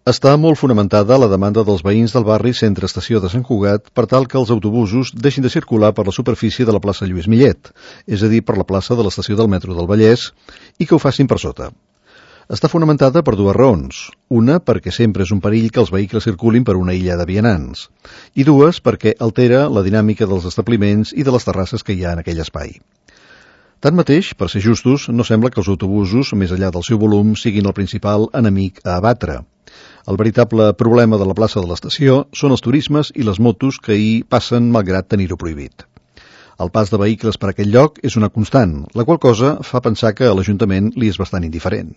Està molt fonamentada la demanda dels veïns del barri Centre Estació de Sant Cugat per tal que els autobusos deixin de circular per la superfície de la plaça Lluís Millet, és a dir, per la plaça de l'estació del metro del Vallès, i que ho facin per sota. Està fonamentada per dues raons. Una, perquè sempre és un perill que els vehicles circulin per una illa de vianants. I dues, perquè altera la dinàmica dels establiments i de les terrasses que hi ha en aquell espai. Tanmateix, per ser justos, no sembla que els autobusos, més enllà del seu volum, siguin el principal enemic a abatre. El veritable problema de la plaça de l'estació són els turismes i les motos que hi passen malgrat tenir-ho prohibit. El pas de vehicles per aquell lloc és una constant, la qual cosa fa pensar que a l'Ajuntament li és bastant indiferent.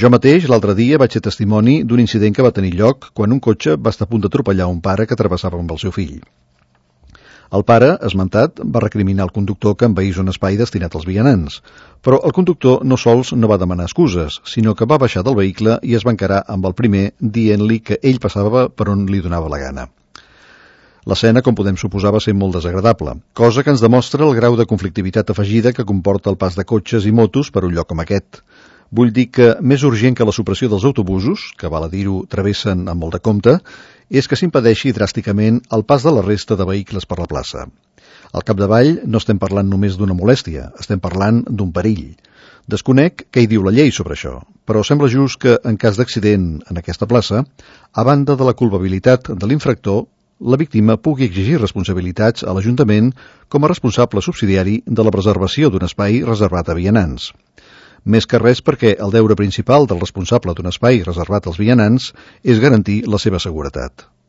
Jo mateix, l'altre dia, vaig ser testimoni d'un incident que va tenir lloc quan un cotxe va estar a punt d'atropellar un pare que travessava amb el seu fill. El pare, esmentat, va recriminar el conductor que envaís un espai destinat als vianants, però el conductor no sols no va demanar excuses, sinó que va baixar del vehicle i es va encarar amb el primer dient-li que ell passava per on li donava la gana. L'escena, com podem suposar, va ser molt desagradable, cosa que ens demostra el grau de conflictivitat afegida que comporta el pas de cotxes i motos per un lloc com aquest. Vull dir que més urgent que la supressió dels autobusos, que val a dir-ho travessen amb molt de compte, és que s'impedeixi dràsticament el pas de la resta de vehicles per la plaça. Al capdavall no estem parlant només d'una molèstia, estem parlant d'un perill. Desconec què hi diu la llei sobre això, però sembla just que, en cas d'accident en aquesta plaça, a banda de la culpabilitat de l'infractor, la víctima pugui exigir responsabilitats a l'Ajuntament com a responsable subsidiari de la preservació d'un espai reservat a vianants. Més que res perquè el deure principal del responsable d'un espai reservat als vianants és garantir la seva seguretat.